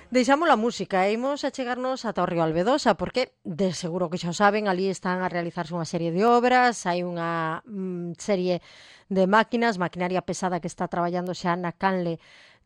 Deixamos a música e imos a chegarnos ata o río Albedosa porque, de seguro que xa o saben, ali están a realizarse unha serie de obras, hai unha serie de maquinaria pesada que está traballando xa na canle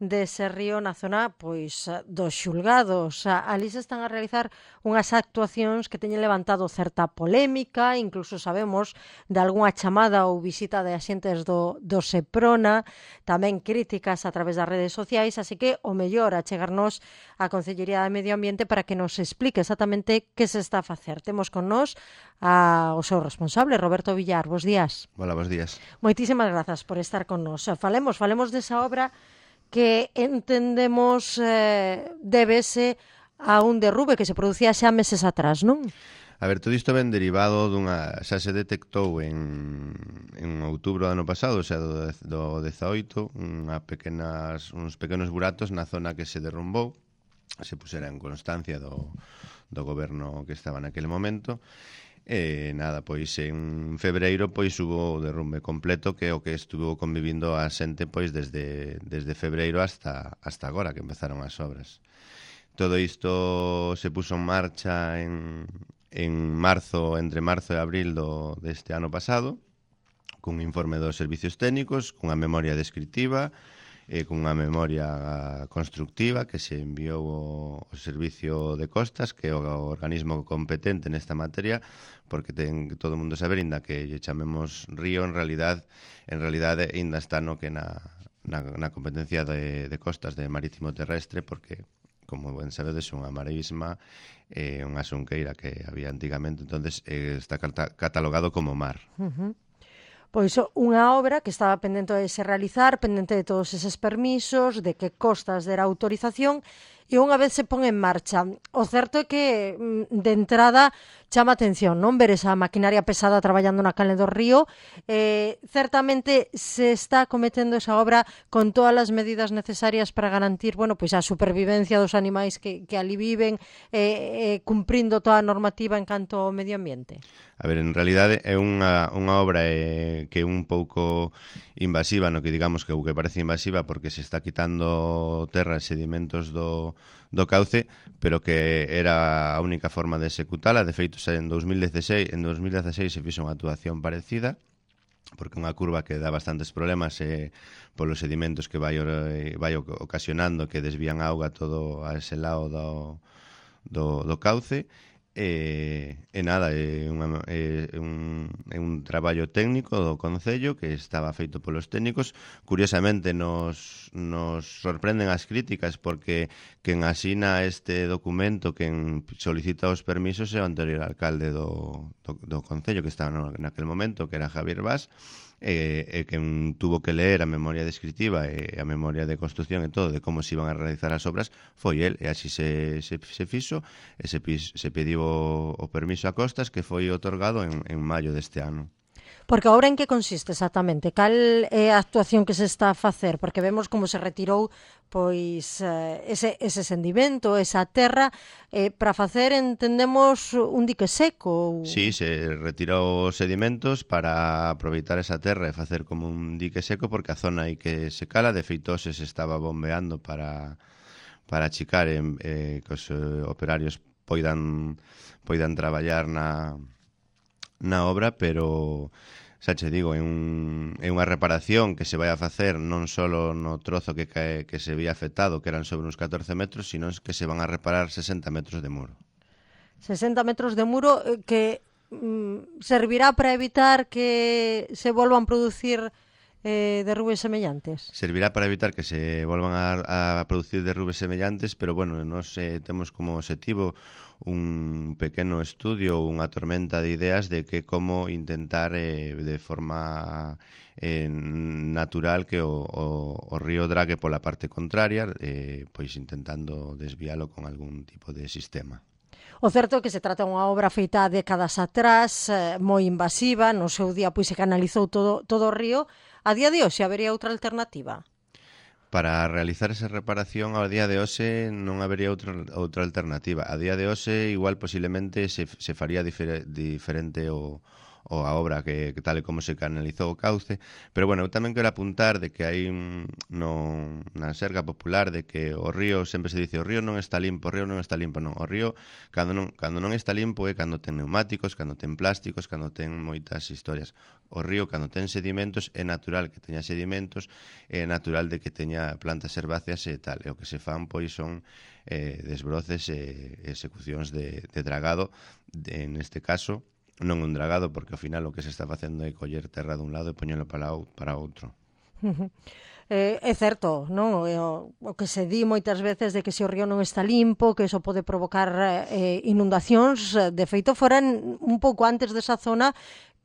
dese río na zona pois dos xulgados. Ali se están a realizar unhas actuacións que teñen levantado certa polémica, incluso sabemos de algunha chamada ou visita de axentes do Seprona, tamén críticas a través das redes sociais, así que o mellor a chegarnos á Concellería de Medio Ambiente para que nos explique exactamente que se está a facer. Temos con nós o seu responsable, Roberto Villar. Bos días. Hola, bos días. Moitísimas grazas por estar con nós. Falemos desa obra que entendemos débese a un derrube que se producía xa meses atrás, non? A ver, todo isto ven derivado xa se detectou en outubro do ano pasado, o sea, do 18, uns pequenos buratos na zona que se derrumbou, se pusera en constancia do goberno que estaba naquele momento. E nada, pois en febreiro pois hubo o derrumbe completo, que é o que estuvo convivindo a xente pois desde febreiro hasta agora que empezaron as obras. Todo isto se puso en marcha en marzo, entre marzo e abril deste ano pasado, cun informe dos servicios técnicos, cunha memoria descriptiva, cunha memoria constructiva que se enviou ao Servicio de Costas, que é o organismo competente nesta materia, porque ten que todo o mundo saber, inda que lle chamemos río, en realidade ainda está no que na competencia de costas de marítimo terrestre, porque como ben sabedes, unha marisma, unha xunqueira que había antigamente, entonces está catalogado como mar. Pois unha obra que estaba pendente de se realizar, pendente de todos eses permisos, de que Costas dera autorización, e unha vez se pon en marcha. O certo é que, de entrada, chama atención, non ver esa maquinaria pesada traballando na canle do río. Certamente se está cometendo esa obra con todas as medidas necesarias para garantir, bueno, pois a supervivencia dos animais que ali viven, cumprindo toda a normativa en canto ao medio ambiente. A ver, en realidade é unha obra que é un pouco invasiva, no que digamos que o que parece invasiva porque se está quitando terra e sedimentos do cauce, pero que era a única forma de executala. De feito, en 2016 se fixo unha actuación parecida, porque unha curva que dá bastantes problemas polos sedimentos que vai ocasionando, que desvían a auga todo a ese lado do cauce. Nada, é un traballo técnico do Concello que estaba feito polos técnicos. Curiosamente nos sorprenden as críticas, porque quen asina este documento, quen solicita os permisos, é o anterior alcalde do Concello que estaba naquele momento, que era Javier Bas, e quen tuvo que ler a memoria descriptiva e a memoria de construcción e todo de como se iban a realizar as obras foi el, e así se fixo, e se pediu o permiso a Costas, que foi otorgado en maio deste ano. Porque a obra en que consiste exactamente? Cal é a actuación que se está a facer? Porque vemos como se retirou pois ese sendimento, esa terra, para facer, entendemos, un dique seco. Sí, se retirou os sedimentos para aproveitar esa terra e facer como un dique seco, porque a zona aí que se cala, de feito se estaba bombeando para achicar que os operarios poidan traballar na obra, pero xa che digo, é unha reparación que se vai a facer non só no trozo que se vía afectado, que eran sobre uns 14 metros, sino que se van a reparar 60 metros de muro. 60 metros de muro que servirá para evitar que se volvan producir derrubes semellantes? Servirá para evitar que se volvan a producir derrubes semellantes, pero bueno, nos temos como objetivo un pequeno estudio, unha tormenta de ideas de que como intentar de forma natural que o río drague pola parte contraria, pois intentando desvialo con algún tipo de sistema. O certo é que se trata dunha obra feita décadas atrás, moi invasiva, no seu día pois se canalizou todo o río. A día de hoxe habería outra alternativa? Para realizar esa reparación ao día de hoxe non habería outra alternativa. A día de hoxe igual posiblemente se faría diferente o ou a obra que tal e como se canalizou o cauce, pero bueno, eu tamén quero apuntar de que hai na serga popular de que o río, sempre se dice o río non está limpo, o río non está limpo, non, o río cando non está limpo é cando ten neumáticos, cando ten plásticos, cando ten moitas historias. O río cando ten sedimentos é natural que teña sedimentos, é natural de que teña plantas herbáceas e tal, e o que se fan pois son desbroces e execucións de dragado, neste caso non un dragado, porque ao final o que se está facendo é coller terra dun lado e poñelo para outro. É certo, non? O que se di moitas veces de que se o río non está limpo, que iso pode provocar inundacións, de feito foran un pouco antes desa zona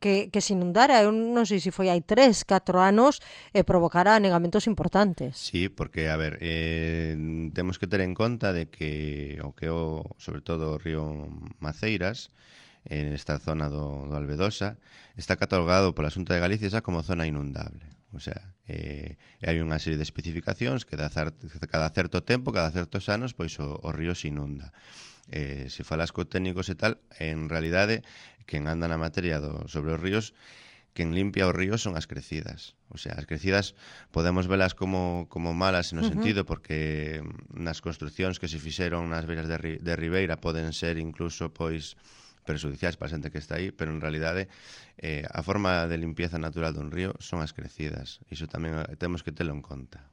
que se inundara, eu non sei se foi hai 3, 4 anos, e provocara anegamentos importantes. Sí, porque, a ver, temos que ter en conta de que sobre todo o río Maceiras, en esta zona do Albedosa, está catalogado pola Xunta de Galicia xa como zona inundable. O sea, hai unha serie de especificacións que cada certo tempo, cada certos anos, pois o río se inunda. Se falas co técnicos e tal, en realidade, quen anda na materia sobre os ríos, quen limpia os ríos son as crecidas. O sea, as crecidas podemos velas como malas no sentido porque nas construccións que se fixeron nas beiras de ribeira poden ser incluso, pois, perxudiciais para a xente que está aí, pero en realidade a forma de limpieza natural dun río son as crecidas. Iso tamén temos que telo en conta.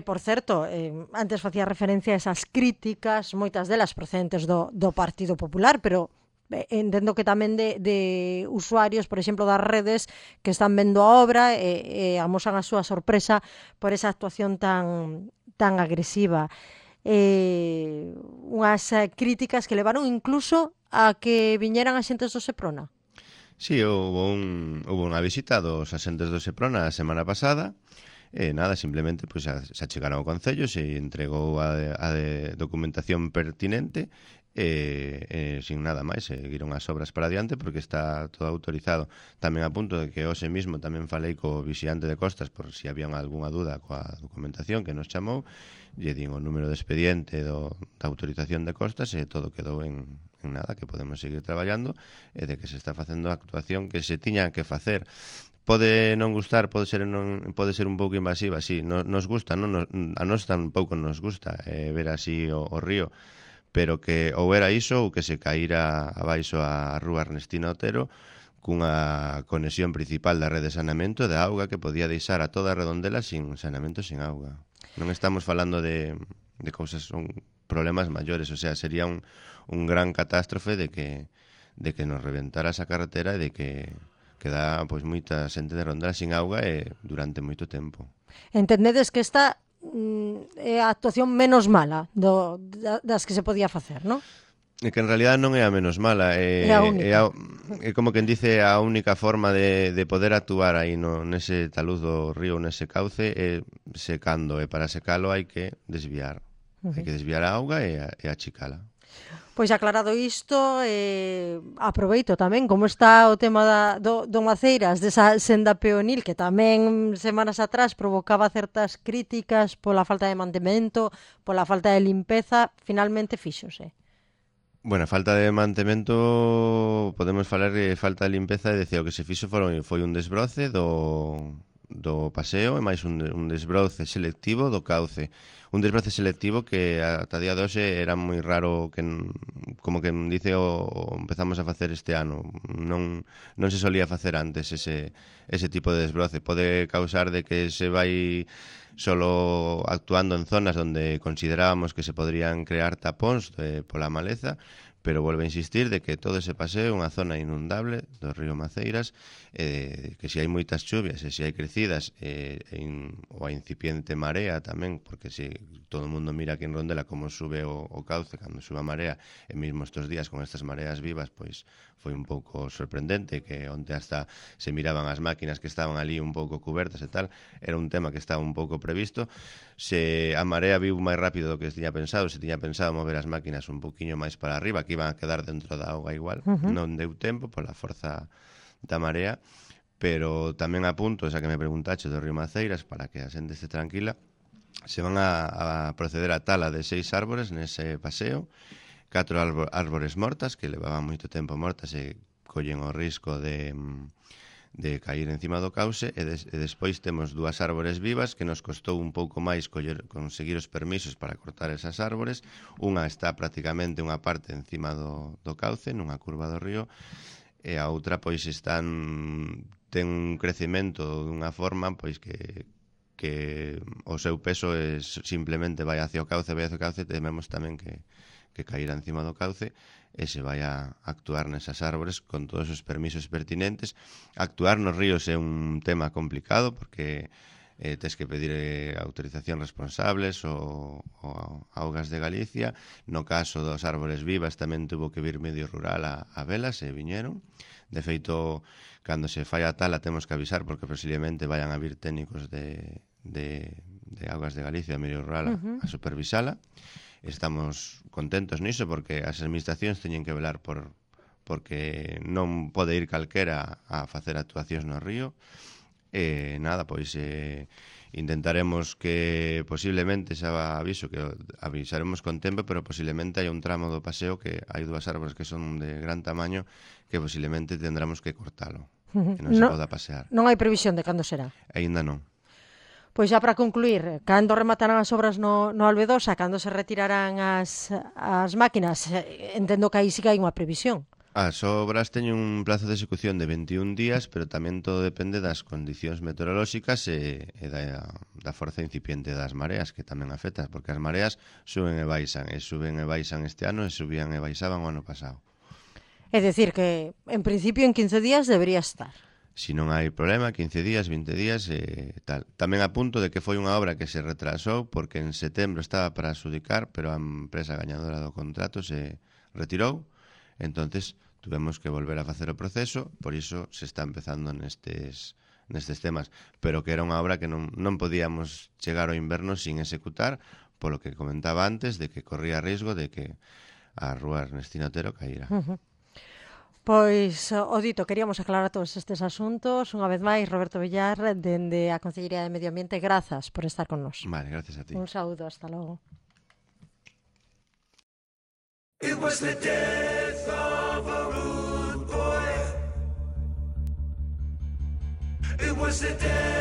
Por certo, antes facía referencia a esas críticas, moitas delas procedentes do Partido Popular, pero entendo que tamén de usuarios, por exemplo, das redes que están vendo a obra e amosan a súa sorpresa por esa actuación tan agresiva. Unhas críticas que levaron incluso a que viñeran axentes do Seprona. Sí, houve unha visita dos axentes do Seprona a semana pasada. Nada, simplemente pues, se achegaron ao Concello, se entregou a documentación pertinente sin nada máis, seguiron as obras para adiante porque está todo autorizado. Tamén a punto de que hoxe mismo tamén falei co vixiante de costas por si había algunha duda coa documentación que nos chamou, lle din o número de expediente da autorización de costas e todo quedou en nada, que podemos seguir traballando e de que se está facendo a actuación que se tiña que facer. Pode non gustar, pode ser un pouco invasiva, sí, nos gusta, non? A nós tampouco nos gusta ver así o río, pero que ou era iso ou que se caíra abaixo a rúa Ernestina Otero cunha conexión principal da rede de saneamento de auga que podía deixar a toda a redondela sin saneamento, sin auga. Non estamos falando de cousas, son problemas maiores, o sea, sería un gran catástrofe de que nos reventara esa carretera e de que queda pois moita xente de Rondela sin auga durante moito tempo. Entendedes que esta é a actuación menos mala das que se podía facer, non? É que en realidad non é a menos mala, é como quen dice a única forma de poder actuar aí nese taluz do río, nese cauce, é secando, e para secalo hai que desviar. Hai que desviar a auga e achicala. Pois aclarado isto, aproveito tamén como está o tema do Maceiras, desa senda peonil que tamén semanas atrás provocaba certas críticas pola falta de mantemento, pola falta de limpeza, finalmente fíxose. Bueno, falta de mantemento, podemos falar de falta de limpeza e decir o que se fixo foi un desbroce do paseo e máis un desbroce selectivo do cauce. Un desbroce selectivo que ata día de hoxe era moi raro, que como que dice empezamos a facer este ano. Non se solía facer antes ese tipo de desbroce. Pode causar de que se vai solo actuando en zonas onde considerábamos que se podrían crear tapóns pola maleza, pero volve a insistir de que todo ese paseo é unha zona inundable do río Maceiras, que se hai moitas chuvias e se hai crecidas ou a incipiente marea tamén, porque se todo o mundo mira aquí en Rondela como sube o cauce cando sube a marea, e mesmo estes días con estas mareas vivas, pois foi un pouco sorprendente que onte hasta se miraban as máquinas que estaban ali un pouco cubertas e tal, era un tema que estaba un pouco previsto. Se a marea viu máis rápido do que se tiña pensado, se tiña pensado mover as máquinas un poquinho máis para arriba, que iban a quedar dentro da auga igual, non deu tempo pola forza da marea, pero tamén a punto, esa que me preguntache do río Maceiras, para que a xente este tranquila, se van a proceder a tala de 6 árbores nese paseo, 4 árbores mortas, que levaban moito tempo mortas e collen o risco de cair encima do cauce e despois temos dúas árbores vivas que nos costou un pouco máis conseguir os permisos para cortar esas árbores. Unha está prácticamente unha parte encima do cauce, nunha curva do río, e a outra pois ten un crecemento dunha forma pois que o seu peso simplemente vai hacia o cauce, tememos tamén que cairá encima do cauce e se vai a actuar nesas árbores con todos os permisos pertinentes. Actuar nos ríos é un tema complicado porque tes que pedir autorización responsables ou Augas de Galicia. No caso dos árbores vivas tamén tuvo que vir Medio Rural a velas e viñeron. De feito, cando se fai a tala temos que avisar porque posiblemente vayan a vir técnicos de Augas de Galicia, Medio Rural, a supervisala. Estamos contentos niso porque as administracións teñen que velar porque non pode ir calquera a facer actuacións no río. E nada, pois intentaremos que posiblemente, xa aviso que avisaremos con tempo, pero posiblemente hai un tramo do paseo que hai dúas árbores que son de gran tamaño que posiblemente tendremos que cortalo, que non se poda pasear. Non hai previsión de cando será? Aínda non. Pois xa para concluir, cando rematarán as obras no Albedosa, cando se retirarán as máquinas, entendo que aí sí que hai unha previsión. As obras teñen un plazo de execución de 21 días, pero tamén todo depende das condicións meteorolóxicas e da forza incipiente das mareas, que tamén afecta, porque as mareas suben e baixan este ano e subían e baixaban o ano pasado. É dicir que, en principio, en 15 días debería estar. Si non hai problema, 15 días, 20 días e tal. Tamén a punto de que foi unha obra que se retrasou porque en setembro estaba para adxudicar, pero a empresa gañadora do contrato se retirou. Entonces, tuvemos que volver a facer o proceso, por iso se está empezando nestes temas, pero que era unha obra que non podíamos chegar ao inverno sin executar, polo que comentaba antes, de que corría risco de que a rúa Ernestina Otero caíra. Pois, o dito, queríamos aclarar todos estes asuntos. Unha vez máis, Roberto Villar, dende a Consellería de Medio Ambiente, grazas por estar con nos. Vale, gracias a ti. Un saúdo, hasta logo. It was the death of a rude boy. It was the death